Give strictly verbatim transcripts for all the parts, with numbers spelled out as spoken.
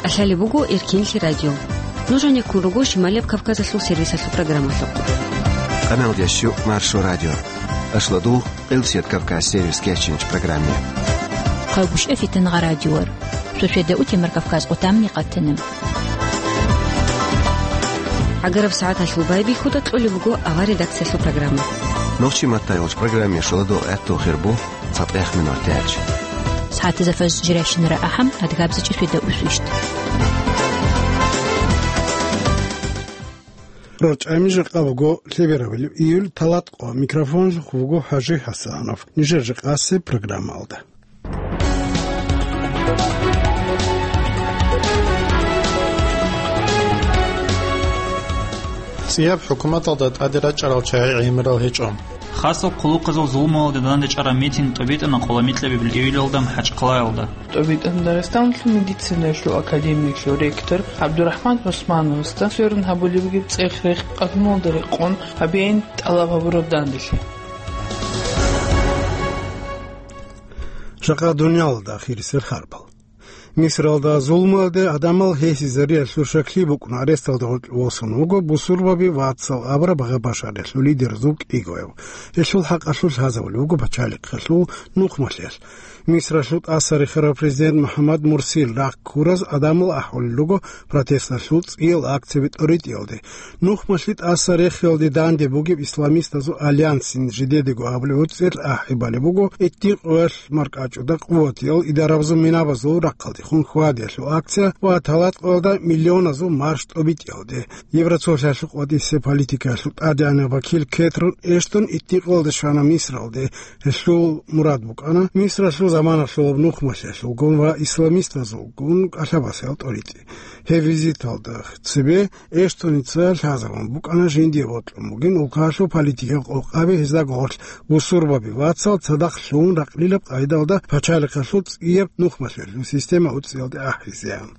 Алъалеб буго Эркенлъи радио. Нуж гьанеккун руго Шималияб Кавказалъул сервисалъул программалъухъ. Къаналдящу Маршо радио. Ашладул Къилсият Кавказ сервис кечинч программе. Хъагушев Фитангъа радиор. Шошеда утемар Кавказ къутамни къатана. ГӀагараб сагӀаталъул байбихьуда кьолеб буго авар редакциялъул программа. Нохчи маттайолч программе шоладо гӀаттул хирбу. ЦатӀехъ минут тяч. СагӀатизафаз жирайщинара ахӀам, адгабзичӀи шведа усвищт. РорчӀами жакъа буго лъеберабилеб июль, талатӀкъо, микрофонлъухъ вуго ХӀажи ХӀасанов. Нижер жакъасеб программалда. ЦӀияб хӀукуматалда тӀаде рачӀарал чагӀи гӀемерал гьечӀо. Хасаб хъулухъазул зулмуялде данде чӀараб митинг тӀобитӀана къоламикьабилеб июлалда МахӀачхъалаялда. ТӀобитӀана Дагъистаналъул медицинаялъул академиялъул ректор ГӀабдурахӀман ГӀусмановасда сверун гьабулеб бугеб цӀех-рех къалъумалда рекъон гьабейин тӀалаб гьабураб данделъи. Жакъа дуниялалда ахирисел харбал. Мисралда зулмуялде гӀадамал гьесизариялъул шакли букӀун аресталда гъоркь восун вуго бусурбаби вацал абураб гъабашаралъул лидер Зуб кӀигояв. Гьелъул хӀакъалъулъ лъазавулев вуго пачалихъалъул нухмалъиялъ. Мисралъул тӀаса рехарав президент МухӀаммад Мурсил рахъ ккураз гӀадамал ахӀулел руго протесталъул цӀиял акцияби тӀоритӀиялде. Нухмалъи тӀаса рехиялде данде бугеб исламистазул альянсин жидедаго абулеб гьуцӀел ахӀи балеб буго, гьитӀин къоялъ маркӀачӀуда къуватиял идарабазул минабазул рахъалдехун хьвадиялъул акция ва талатӀкъоялда миллионазул марш тӀобитӀиялде. Евроцолъиялъухъ ва тӀисеб политикаялъул тӀадегӀанав вакил Кетрон Эштон гьитӀин къоялда щвана Мисралде. Гьелъул мурад букӀана Мисралъул заманалъулаб нухмалъиялъулгун ва исламистазулгун кӀалъабасиялъ тӀоритӀи. Гьеб визиталда цебе Эштоница лъазабун букӀана жиндие бокьун бугин улкаялъул политикал къокъаби, гьезда гъорлъ бусурбаби вацал цадахъ лъугьун ракълилаб къайдалда пачалихъалъул цӀияб нухмалъиялъул система уцӀиялде ахӀизеян.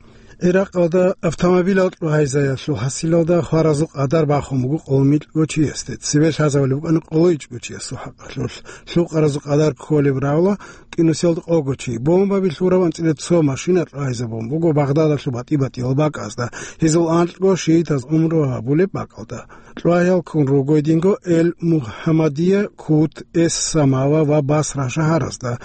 Иракъалда автомобилал кьвагьайзаялъул хӀасилалда хваразул къадар бахун буго къолмикьго чиясде, цебе лъазабулеб букӀана къолоичӀго чиясул хӀакъалъулъ. Лъукъаразул къадар кколеб равла кӀинусиялда къого чи. Бомбаби лъураб анцӀила цо машина кьвагьайзабун буго Багъдадалъул батӀи-батӀиял бакӀазда, гьезул анкьго шиитаз умру гьабулеб бакӀалда. Кьвагьал ккун руго гьединго Эль-Мухаммадия, Кут, Эс-Самава ва Басра шагьаразда.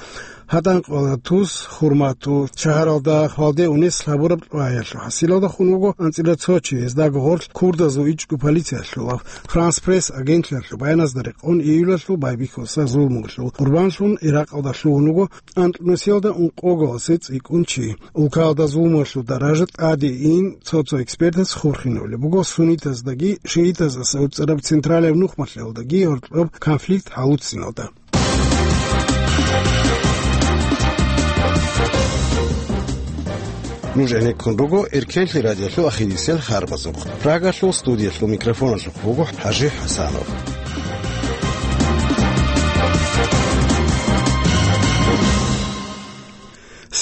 ГьатӀан къвала тус Хурмату шагьаралда хвалде унес лъабураб кьвагьалъул хӀасилалда хун вуго анцӀила цо чи, гьездаго гъорлъ курдазул ичӀго полициялъулав Франс Пресс агентлъиялъул баяназда рекъон июлалъул байбихьуса зулмуялъул къурбанлъун Иракъалда лъугьун вуго анкьнусиялда ункъогаласе цӀикӀкӀун чи. Улкаялда зулмуялъул даража тӀаде ин цо-цо экспертас хурхинабулеб буго суннитаздаги шиитаздаса уцӀараб централияб нухмалъиялдаги гьоркьоб конфликт гьалуциналда. Нуж гӀенеккун руго Эркенлъи радиолъул ахирисел харбазухъ. Прагалъул студиялъул микрофоналъухъ вуго ХӀажи ХӀасанов.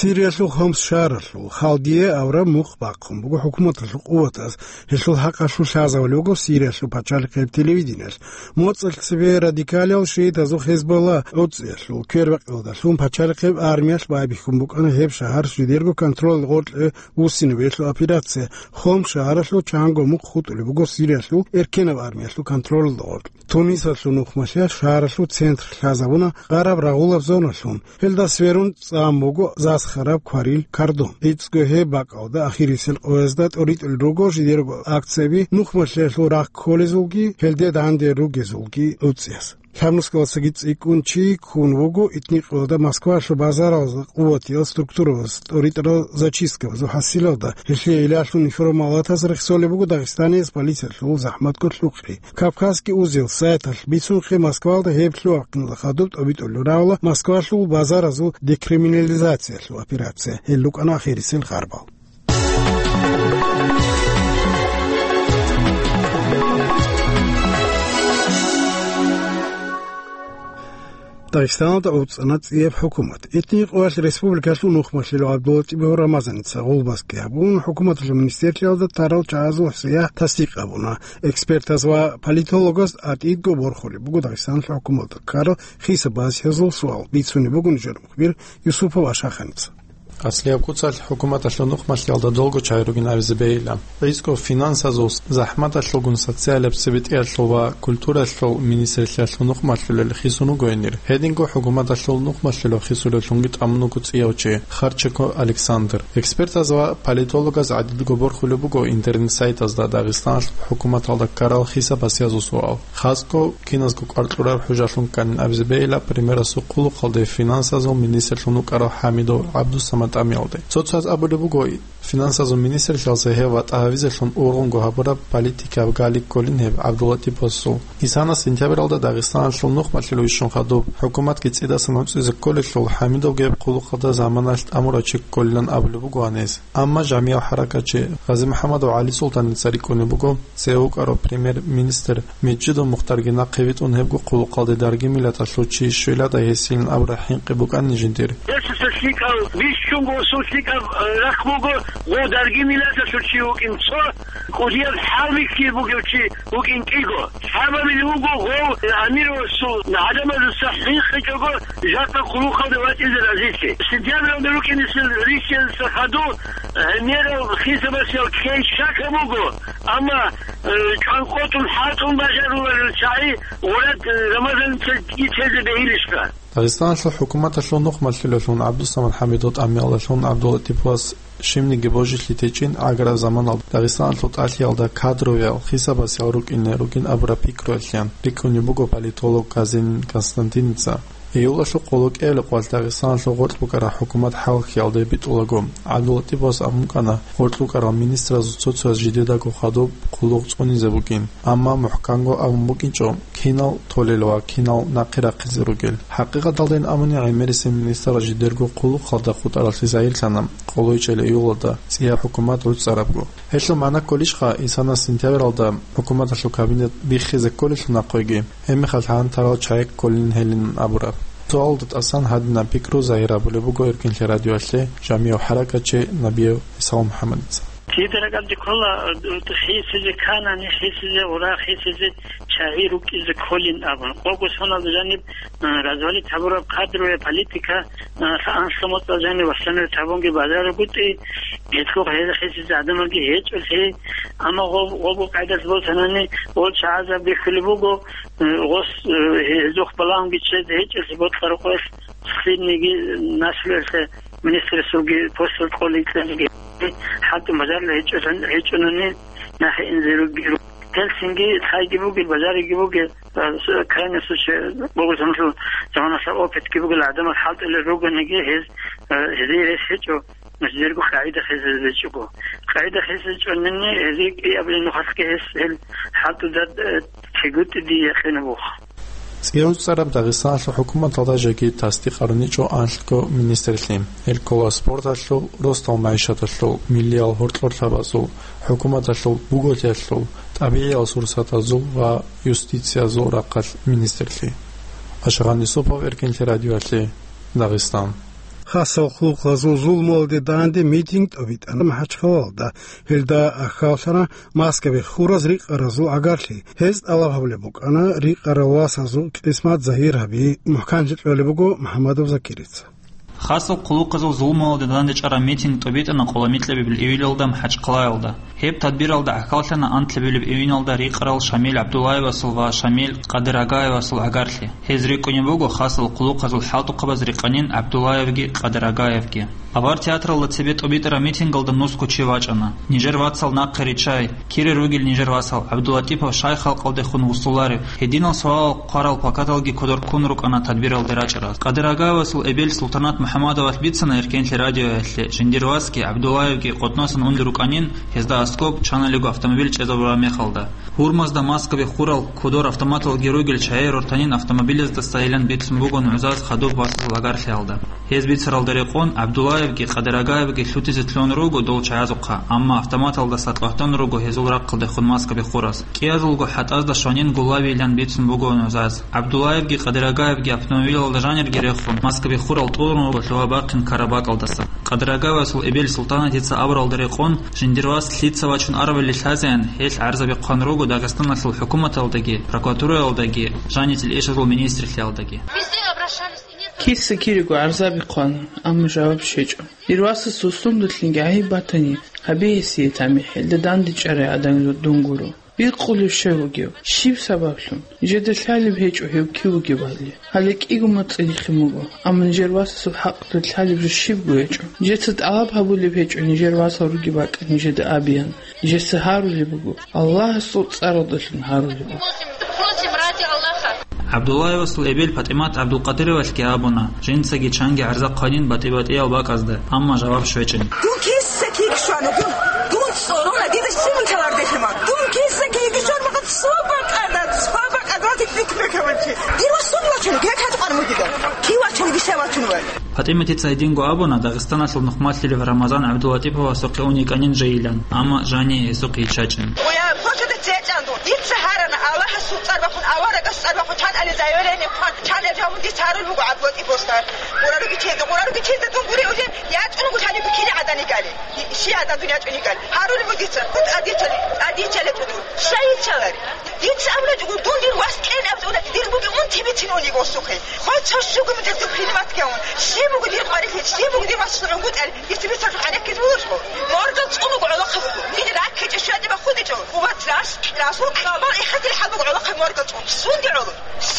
Сириялъул Хомс шагьаралъул Халдия авараг мухъ бахъун буго хӀукуматалъул къуватаз. Гьелъул хӀакъалъулъ лъазавулев вуго Сириялъул пачалихъияб телевидениялъ. МоцӀалъ цебе радикалиял шиитазул Хезболла гӀуцӀиялъул квербакъиялдалъун пачалихъияб армиялъ байбихьун букӀана гьеб шагьар жидерго контролалда гъоркье вуссинабиялъул операция. Хомс шагьаралъул чанго мухъ хутӀулеб буго Сириялъул эркенаб армиялъул контролалда гъоркь. Тунисалъул нухмалъиялъ шагьаралъул центр лъазабуна гъараб рагъулаб зоналъун. Гьелда сверун цӀан буго засхараб кварил кардон. ГӀицӀго гьеб бакӀалда ахирисел къоязда тӀоритӀулел руго жидерго акцияби нухмалъиялъул рахъ кколезулги, гьелде данде ругезулги гӀуцӀиялъ. Лъабнусгалдасаги цӀикӀкӀун чи ккун вуго итникъоялда Москвалъул базаралда къуватиял структурабаз тӀоритӀарал зачисткабазул хӀасилалда. Гьелъие илалъун информалатаз рехсолеб буго Дагъистаниялъ полициялъул захӀматго лъукъи. Кавказский узел сайталъ бицунхъе Москвалда гьеб лъугьа-хъинал хадуб тӀобитӀулел равла Москвалъул базаразул декриминализациялъул операция. Гьел рукӀана ахирисел харбал. Дагъистаналда гӀуцӀана цӀияб хӀукумат. Итни къоялъ республикалъул нухмалъил ГӀабдуллатӀибов Рамазаница гъулбазги гьабун, хӀукуматалъул министерлъиялда тарал чагӀазул сияхӀ тасдикъ гьабуна. Экспертаз ва политологаз тӀатӀидго борхулеб буго Дагъистаналъул хӀукуматалда ккарал хисаб-базихӀазул суал, бицунеб буго нижер мухбир Юсупов Ашаханица. Аслияб куцалъ хӀукуматалъул нухмалъиялда долго чагӀи ругин абизе бегьила. ГӀицӀго финансазул, захӀматалъулгун социалияб цебетӀиялъул ва культуралъул министрлъиялъул нухмалъулел хисун вуго гьенир. Гьединго хӀукуматалъул нухмалъулев хисулевлъунги тӀамун вуго цӀияв чи Харченко Александр. Экспертаз ва политологаз гӀадидго борхулеб буго интернет-сайтазда Дагъистаналъул хӀукуматалда ккарал хисаб-басиязул суал. Хасго киназго кӀвар кьураб хӀужалъун кканин абизе бегьила премьерасул хъулухъалде финансазул министрлъун вукӀарав ХӀамидов ГӀабдусамад тӀамиялде. Цо-цояз абулеб буго, финансазул министрлъиялъе гьев ватӀа гьавизелъун ургъунго гьабураб политикаб гали кколин гьеб ГӀабдулатиповасул. Исана сентябралда Дагъистаналъул нухмалъулев вищун хадуб, хӀукуматги цӀидасан гьуцӀизе кколелъул, ХӀамидовги гьеб хъулухъалда заманалъ тӀамурав чи кколилан абулеб буго гьанис. Амма жамияв хӀаракатчи ГъазимухӀаммадов ГӀалисултаница рикӀкӀунеб буго, цеве вукӀарав премьер-министр Межидов Мухтарги нахъе витӀун гьебго хъулухъалде дарги миллаталъул чи щвелада гьесилин абураб хӀинкъи букӀанин жиндир. Гьесуца лъикӀав, бищунго усул лъикӀаб, э, рахъ буго, гъов дарги миллаталъул чи вукӀин цо, кӀудияб хӀалбихьи бугев чи вукӀин кӀиго. Сабабиле вуго гъов амировасул гӀадамазуца хӀинкъичӀого жакъа хъулухъалде вачӀине разилъи. Сентябралда рукӀинесул рихьизеса хадув гӀемерал хисабасиял ккей щака буго, амма, э, чӀванкъотӀун хӀалтӀун бажаруларел чагӀи гъурат, э, Рамазаница тезе бегьилищха? Дагъистаналъул хӀукуматалъул нухмалъулевлъун ГӀабдусамад ХӀамидов тӀамиялдалъун ГӀабдулатиповас щибниги божилъи течӀин гӀагараб заманалда Дагъистаналъул тӀалъиялда кадровиял хисабасиял рукӀине ругин абураб пикруялъеян рикӀкӀунеб буго политолог Казинин Константиница. Июлалъул къоло кӀиабилеб къоялъ Дагъистаналъул гъоркь букӀараб хӀукумат хӀалхьиялде битӀулаго, ГӀабдулатиповас абун букӀана гъоркь букӀарал министразул цо-цояз жидедаго хадуб хъулухъ цӀунизе букӀин, амма мухӀканго абун букӀинчӀо, кинал толел ва кинал нахъе рахъизе ругел. ХӀакъикъаталдайин абуни, гӀемерисел министрал жидерго хъулухъалда хутӀаралъе загьирлъана къоло кӀиабилеб июлалда цӀияб хӀукумат гӀуцӀарабго. Гьелъул магӀна кколищха, Исана сентябралда хӀукуматалъул кабинет биххизе кколелъул нахъеги, гьебмехалъ гьантарал чагӀи кколин гьелин абураб? Суалда тӀасан гьадинаб пикру загьир гьабулеб буго Эркинлъи радиоялъе жамияв хӀаракатчи Набиев ГӀисал МухӀаммадица. Кида ракӀалде ккола, э, хисизе канани, хисизе ура, хисизе чагӀи рукӀизе кколин абун. Къого соналда жаниб, э, развалить гьабураб кадровая политика, э, анлъго моцӀалъ жаниб восстановить гьабунги бажарагутӀи, гьелъухъ гьезда хисизе гӀадамалги гьечӀолъи. Амма гъоб-, гъобго къайдалъ босанани, гъол чагӀазаб бихьулеб буго, э, гъос, э, гьезухъ балагьунги чед гьечӀолъи бокьараб къоялъ, лъилниги наслуялъе министрасулги постал кьолин кьелги хӀалтӀун бажарулел гьечӀо-, гьечӀунани нахъе инзе ругел. Гьелъинги лъайги бугел, бажариги бугел, а, с-, крайний случай, бугел заманалъул, заманалъа опытги бугел гӀадамал хӀалтӀулел ругониги гьез, а, гьезие рес гьечӀо, нужерго къагӀида хезезечӀого. КъагӀида хезечӀонани гьезие кӀиабилеб нухалъги гьес гьел хӀалтӀуда, а, тегутӀи дие якъинаб буго. ЦӀиявцӀараб Дагъистаналъул хӀукуматалда жеги тасдикъ гьаруничӀо анлъго министрлъи. Гьел ккола спорталъул, росдал-магӀишаталъул, миллиял гьоркьорлъабазул, хӀукуматалъул, буголъиялъул, тӀабигӀиял сурсатазул ва юстициязул рахъалъ министрлъи. Ашгъан Юсупов, Эркинлъи радиоялъе, Дагъистан. Хасал хъулухъазул зулмуялде данде митинг тӀобитӀана МахӀачхъалалда. Гьелда ахьаллъана Москваялъ хураз рикъаразул гӀагарлъи. Гьез тӀалаб гьабулеб букӀана рикъарал васазул кьисмат загьир гьаби, мухӀканлъи кьолеб буго МухӀаммадов Закирица. Хасал хъулухъазул зулмуялде данде чӀараб митинг тӀобитӀана къоло микьабилеб июлалда МахӀачхъалаялда. Гьеб тадбиралда ахьаллъана анлъабилеб июналда рикъарал Шамил ГӀабдуллаевасул ва Шамил Къадирагаевасул гӀагарлъи. Гьез рикӀкӀунеб буго хасал хъулухъазул хӀалтӀухъабаз рикъанин ГӀабдуллаевги Къадирагаевги. Авар театралда цебе тӀобитӀараб митингалда нусго чи вачӀана. Нижер вацал нахъе риччай, кире ругел нижер васал, ГӀабдулатӀипов щай халкъалдехун вуссуларев? Гьединал суалал хъварал плакаталги кодор ккун рукӀана тадбиралде рачӀараз. Къадирагаевасул эбел Султанат МухӀаммадовалъ бицана Эркенлъи радиоялъе, жиндир васги ГӀабдуллаевги КъотӀносан унел рукӀанин, гьезда аскӀоб чаналего автомобиль чӀезабураб мехалда. Гьурмазда Москваялъ хурал кодор автоматалги ругел чагӀи рортанин автомобилездасайилан бицун буго нугӀзаз хадуб васазул гӀагарлъиялда. Гьез бицаралда рекъон, ГӀабдуллаевги Къадирагаевги лъутизе лъугьун руго дол чагӀазухъа, амма автоматалдаса тӀватун руго гьезул рахъалдехун Москваялъ хурас. КӀиазулго хӀатӀазда щванин гулавилан бицун буго нугӀзаз. ГӀабдуллаевги Къадирагаевги автомобилалда жанирги рехун, Москваялъ хурал тӀурун руго лъугьа-бахъин кара бакӀалдаса. Къадирагаевасул эбел Султанатица абуралда рекъон, жиндир вас лъица вачун арабали лъазеян, гьелъ гӀарзаби хъван руго Дагъистаналъул хӀукуматалдаги, прокуратураялдаги, жаниб ишазул министрлъиялдаги. Везде обращались и нет. Киса-кирего гӀарзаби хъвана, амма жаваб щвечӀо. Дир васасул сундулъинги гӀайиб батани, гьабе гьесие тамихӀ, гьелда дандечӀарай адам дун гуро. Бикъулев щай вугев? Щиб сабаблъун? Нижеда лъалеб гьечӀо гьев кив вугебали. Гьале кӀиго моцӀи нихин буго, амма нижер васасул хӀакъалъулъ лъалеб жо щибго гьечӀо. Нижеца тӀалаб гьабулеб гьечӀо нижер васал ругеб бакӀ нижеда абеян. Нижеца гьарулеб буго, Аллагьасул цӀаралдалъун гьарулеб буго. Просим ради Аллаха. ГӀабдуллаевасул эбел ПатӀимат ГӀабдулкъадировалъги абуна, жинцаги чанги гӀарза хъванин батӀи-батӀиял бакӀазда, амма жаваб щвечӀин. Дун киса киги щвана, дун, дун цӀорона, дида щиб буталар дехима. Дун киса киги щван бакъат цо бакӀада, цо бакӀада, ватик бик бекаванчи. Дир ва сун вачун, гек хатӀ къан мудида. Ки вачун, гиса вачун вай. ПатӀиматица гьединго абуна Дагъистаналъул нухмалъилев Рамазан ГӀабдулатӀиповасухъе ун йикӀанин жайилан, амма жани гьесухъ йиччачӀин. Оя, почуда цечӀан дун. Дица гьарана, Аллагьасул цӀар бахъун, аварагас цӀар бахъун, чан али заявление хъван, чан ил жаваб дица гьарулеб буго ГӀабдулатӀиповасда. Къураруги чезда, къураруги чезда дун гури уже, ячӀун гури гьаниб кили гӀадан йигали. Щи гӀадан дун ячӀун йигали. Гьарулеб буго дица, хутӀ адичали, адичали тӀуду. Щай йиччалари? Дица абуна, дун дир вас кьен абзуна, дир буги унти бицин уни госухъе. Хо цо щугу мутазу принимать кяун. Щиб буго дир къварилъи, щиб буго дир вас шугӀун гутӀал, дица бицархъ гӀенеккиз вугьулъо. Моргал цӀун буго гӀолохъа буго. Мин раккичӀо щведе бахудичӀо. Уват рас, расул хабар ихатил хӀал буго гӀолохъа моргал цӀун. Сунде гӀоло.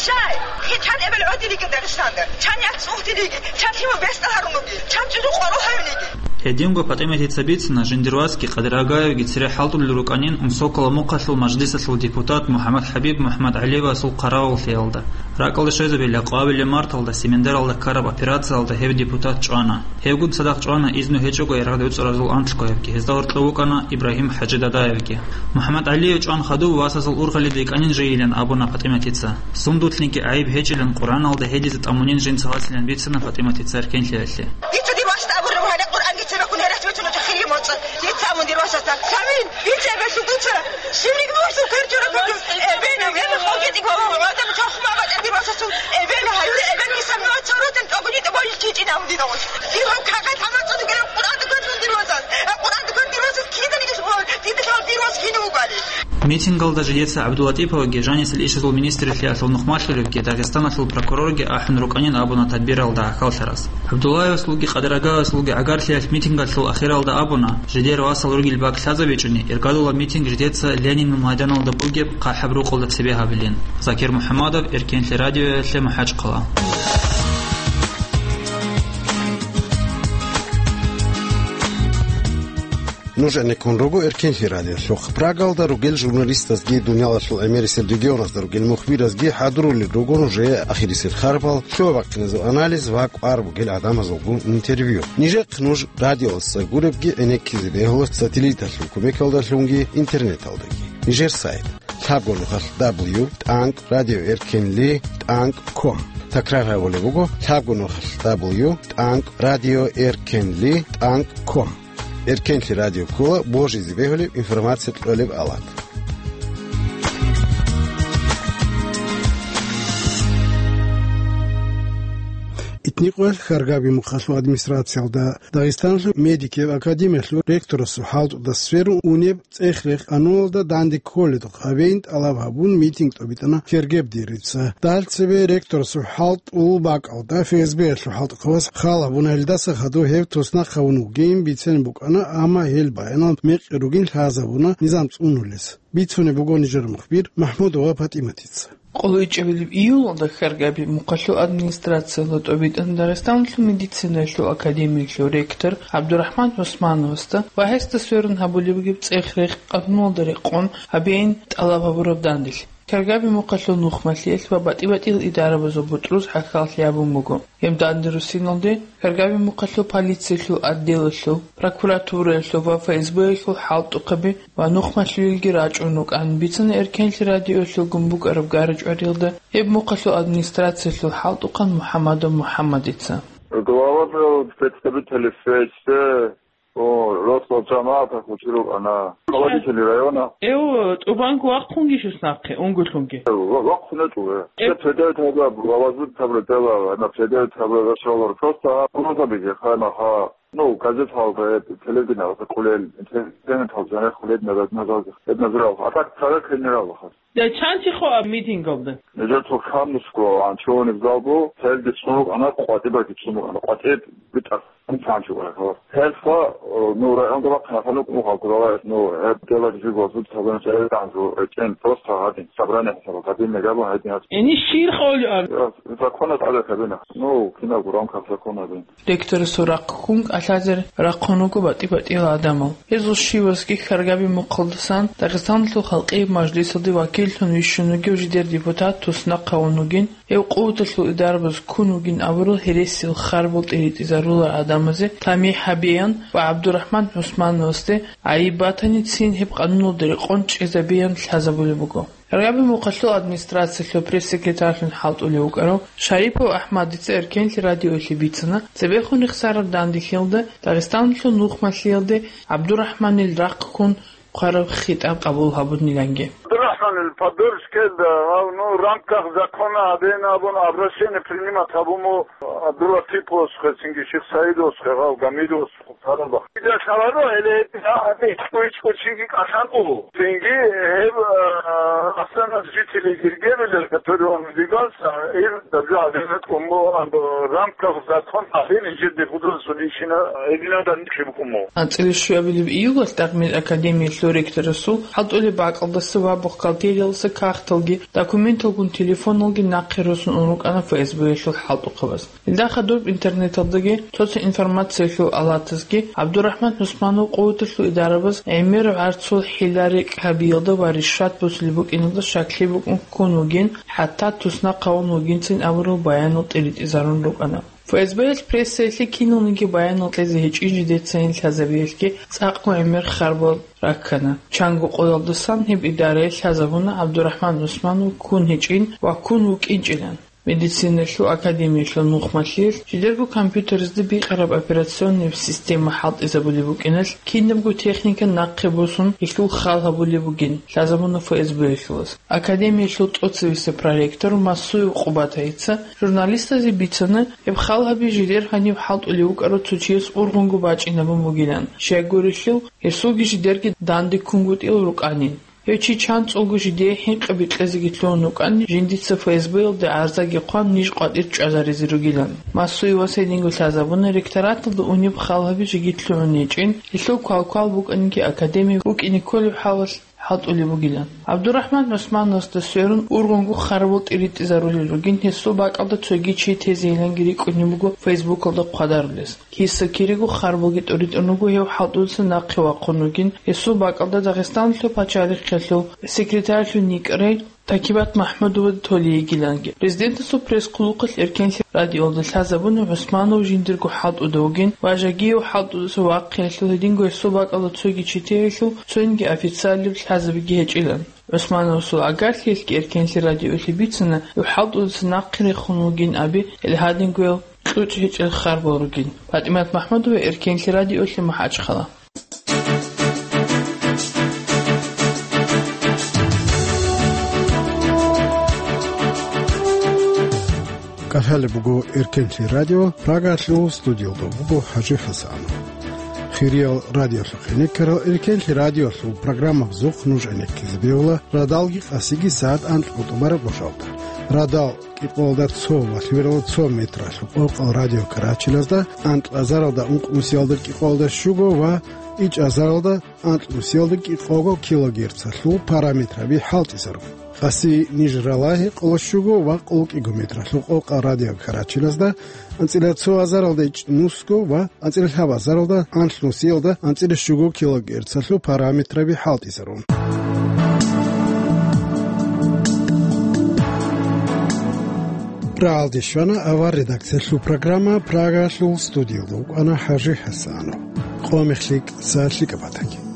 Щай? Хи чан эбел гӀодилиги Дагъистанда. Чан яц цӀугьдилиги. Чан лъимал бесдал гьарун буги. Чан чӀужу къорол гьавилиги. Гьединго ПатӀиматица бицина, жиндир васги Къадир Агаевги цере хӀалтӀулел рукӀанин Унсокала мухъалъул мажлисалъул депутат МухӀаммад ХӀабиб МухӀаммад ГӀалиевасул хъаравуллъиялда. РакӀалде щвезабила къвабилеб марталда Семендаралда ккараб операциялда гьев депутат чӀвана. Гьевгун цадахъ чӀвана изну гьечӀого ярагъде уцӀаразул анлъго гьебги, гьезда гьоркьов вукӀана Ибрагьим ХӀажи Дадаевги. МухӀаммад ГӀалиев чӀван хадув васасул ургъалида йикӀанин жайилан абуна ПатӀиматица. Сундулъниги гӀайиб гьечӀилан Къуръаналда гьедизе тӀамунин жинца василан бицана ПатӀиматица эркенлъиялъе. Дица дир васда абураб гьаниб Къуръанги цебеккун гьересине нуж хири моцӀа. Дица абун дир васасда. Самин, дица эбеллъун дуца. Щиб ригьмурсул квер чораб бугеб? Эбел, эбел хокетӀи гьавав гӀадам чохма батӀа дир васасул. Эбел гьаюре эбел киса мугьа цоротен тӀогуни тӀогойил чичӀин абун дир вас. Дир гьав кагъат гьаман цӀуду герев Къуръан дукарун дир васас. А Къуръан дукарун дир васас киданиги лъугьа, дида лъугьа дир вас кин вугали. Митингалда жидеца ГӀабдулатӀиповги, жанисел ишазул министрлъиялъул нухмалъулевги, Дагъистаналъул прокурорги ахӀун рукӀанин абуна тадбиралда гӀахьаллъарас. ГӀабдуллаевасулги Къадир Агаевасулги гӀагарлъиялъ митингалъул ахиралда абуна, жидер васал ругел бакӀ лъазабичӀони, иргадула митинг жидеца Ленинил майданалда бугеб хъахӀаб рукъалда цебе гьабилин. Закир МухӀаммадов, Эркенлъи радиоялъе, МахӀачхъала. Нуж гӀенеккун руго Эркенлъи радиолъухъ. Прагалда ругел журналистазги, дуниялалъул гӀемерисел регионазда ругел мухбиразги хӀадурулел руго нужее ахирисел харпал, лъугьа-бахъиназул анализ ва кӀвар бугел гӀадамазулгун интервью. Нижехъ нуж радиоялдаса гуребги гӀенеккизе бегьула сателлиталъул кумекалдалъунги интернеталдаги. Нижер сайт: лъабго нухалъ дабл ю тӀанкӀ радио эркенли тӀанкӀ ком. Такрар гьабулеб буго: лъабго нухалъ дабл ю тӀанкӀ радио эркенли тӀанкӀ ком. Эркенлъи радио ккола божизе бегьулеб информация кьолеб алат. Итникъоялъ Хьаргаби мухъалъул администрациялда Дагъистаналъул медикиял академиялъул ректорасул хӀалтӀуда сверун унеб цӀех-рехъ къануналда данде кколедухъ гьабейин тӀалаб гьабун митинг тӀобитӀана Кергеб Дирица. Дагьал цебе ректорасул хӀалтӀул бакӀалда ФСБ-ялъул хӀалтӀухъавас хал гьабуна, гьелдаса хадув гьев туснахъ гьавун вугин бицен букӀана, амма гьел баянал мекъи ругин лъазабуна низам цӀунулес. Бицунеб буго нижер мухбир МахӀмудова ПатӀиматица. КъолайчӀебилеб июлалда Хьаргаби мухъалъул администрациялда тӀобитӀана Дагъистаналъул медицинаялъул академиялъул ректор ГӀабдурахӀман ГӀусмановасда ва гьесда сверун гьабулеб бугеб цӀех-рехъ къануналда рекъон гьабейин тӀалаб гьабураб данделъ. Хьаргаби мухъалъул нухмалъиялъ ва батӀи-батӀиял идарабазул бутӀруз гӀахьаллъи гьабун буго. Гьеб данде руссиналде Хьаргаби мухъалъул полициялъул отделалъул, прокуратураялъул ва ФСБ-ялъул хӀалтӀухъаби ва нухмалъуелги рачӀун рукӀан бицана Эркенлъи радиоялъулгун букӀараб гара-чӀвариялда гьеб мухъалъул администрациялъул хӀалтӀухъан МухӀаммадов МухӀаммадица. Глава представителей ФСБ, о, росла жамаата хучиру ана. Руководители района. Эу, тӀубанг вахъунги щус нахъе, унгулъунги. Ва-, вахъунету, э. Э. Се предает хабар, главазут хабар дела, ана предает хабар рашалар. Просто, а, просто беге, хана, ха. Ну, газет халда, э, телевидение, ха, кулел, интернет халда, ха, кулел, назад, назад, назад. А так, царек генерал, ха. Дачанчи хо митингалда. Нижер цо камусго анчоонеб залго, целги цунукъана, къватӀибаги цунукъана, къватӀиб битӀа цанчугӀа. Гьелха, ну, районга бахъина ханук мухалкурала, ну, гьеб делаги жиго зуд сабран чӀарай данжу, эчен просто гьадин, сабране хӀисабал гьадин мегабун гьадин гьад. Эни щир хъолиан? Я, законат гӀадат гьабина. Ну, кинаб гуранкаб закон гьадин. Ректорасул рахъ ккун кӀалъазе рахъун руго батӀи-батӀиял гӀадамал. Гьезул щивасги хьаргаби мухъалдасан Дагъистаналъул халкъияб мажлисалде вакиллъун вищун вугев жидер депутат туснахъ гьавун вугин, гьев къуваталъул идарабаз ккун вугин абурал гьересил харбал тӀиритӀизарулар гӀадамазе тамихӀ гьабеян ва ГӀабдурахӀман ГӀусмановасде гӀайиб батани, цин гьеб къануналда рекъон чӀезабеян лъазабулеб буго. Рагъаби мухъалъул администрациялъул пресс-секретарьлъун хӀалтӀулев вукӀарав Шарипов АхӀмадица Эркенлъи радиоялъе бицана, цебехун рехсараб данделъиялда Дагъистаналъул нухмалъиялде ГӀабдурахӀманил рахъ ккун хъвараб хитӀаб къабул гьабуниланги. ГӀабдурахӀманил поддержкаялда гьав, ну, в рамках закона гьабеян абун обращение принимать гьабун буго ГӀабдулатиповасухъе, цинги Шихсаидовасухъе, гьав Гамидовасухъе. Гьалаб. Дида лъаларо, гьеле гьеб гьаб ичӀго-ичӀго чиги кӀалъанго. Цинги гьеб, а, Асланас жители Гергебилер, который он убегался, ил дабжа гьабизе кӀун буго, ан в рамках закон гьабин жиде гьудулсулищина гьединада нихъе букӀун буго. АнцӀила щуабилеб июлалъ Дагъмил академиялъул ректорасул хӀалтӀулеб бакӀалдаса ва бухгалтериялдаса кагъталги, документалгун телефоналги нахъе росун ун рукӀана ФСБ-ялъул хӀалтӀухъабаз. Илдахъа доб интернеталдаги, цоцин информациялъул алатазги ГӀабдурахӀман ГӀусманов къуваталъул идарабаз гӀемер гӀарцул хӀила-рекь гьабиялда ва ришват босулеб букӀиналда щаклъи букӀун ккун вугин, хӀатта туснахъ гьавун вугинцин абурал баянал тӀиритӀизарун рукӀана. ФСБ-ялъ прессаялъе киналниги баянал кьезе гьечӀин жидецайин лъазабиялъги цӀакъго гӀемер харбал раккана. Чанго къоялдасан гьеб идарае лъазабуна ГӀабдурахӀман ГӀусманов ккун гьечӀин ва ккун вукӀинчӀилан. Медициналъул академиялъул нухмалъиялъ жидерго компьютеразда бикъараб операционный система хӀалтӀизабулеб букӀиналъ, кинабго техника нахъе босун, гьелъул хал гьабулеб бугин, лъазабуна ФСБ-ялъулаз. Академиялъул тӀоцебесеб проректор Масуев Къубатайица журналистазе бицана, гьеб хал гьаби жидер гьаниб хӀалтӀулев вукӀарав цо чияс ургъунго бачӀинабун бугилан, щайгурелъул гьесулги жидерги данде ккунгутӀил рукӀанин. Гьев чи чанцӀулго жидее хӀинкъи бикьезеги лъугьун вукӀан, жиндица ФСБ-ялде гӀарзаги хъван, ниж къватӀир чӀвазаризе ругилан. Масуевас гьединго лъазабуна ректораталда унеб хал гьаби жеги лъугьун гьечӀин, гьелъул квалквал букӀаниги академия вукӀине кколеб хӀалалъ хӀалтӀулеб бугилан. ГӀабдурахӀман ГӀусмановасда сверун ургъунго харбал тӀиритӀизарулел ругин, гьесул бакӀалда цоги чи тезейиланги рикӀкӀунеб буго Фейсбукалда хъвадарулес. Киса-кирего харбалги тӀуритӀун руго гьев хӀалтӀудаса нахъе вахъун вугин, гьесул бакӀалда Дагъистаналъул пачалихъалъул секретарьлъун йикӀарай Такибат МахӀмудова толей йигиланги. Президентасул пресс-хъулухъалъ Эркенлъи радиоялда лъазабуна ГӀусманов жиндирго хӀалтӀуда вугин ва Жагиев хӀалтӀудаса вахъиялъул гьединго гьесул бакӀалда цоги чи тегьилъул цоинги официаллаб лъазабиги гьечӀилан. ГӀусмановасул агарлъиялъги Эркенлъи радиоялъе бицана, гьев хӀалтӀудаса нахъе рехун вугин аби, гьел гьадингоял кьучӀ гьечӀел харбал ругин. ПатӀимат МахӀмудова, Эркенлъи радиоялъе, МахӀачхъала. КӀалъалеб буго Эркенлъи радио, Прагалъул студиялда буго ХӀажи ХӀасанов. Хириял радиолъухъ гӀенеккарал, Эркенлъи радиолъул программабазухъ нуж гӀенеккизе бегьула радалги къасиги сагӀат анкьго тӀубараб гъожалда. Радал кӀикъоялда цо ва лъимералда цо метралъул къокъал радиокарачелазда, анкьазаралда ункънусиялда кӀикъоялда щуго ва ичӀазаралда анкьнусиялда кӀикъого килогерцалъул параметраби хӀалтӀизарун. Къаси ниж ралагьи къоло щуго ва къоло кӀиго метралъул къокъал радиокарачелазда, анцӀила цо азаралда ичӀнусго ва анцӀила лъабазаралда анлънусиялда анцӀила щуго килогерцалъул параметраби хӀалтӀизарун. Рагьалде щвана авар редакциялъул программа, Прагалъул студиялда вукӀана ХӀажи ХӀасанов. Къо мехлъи кӀиса лъикӀаб батаги.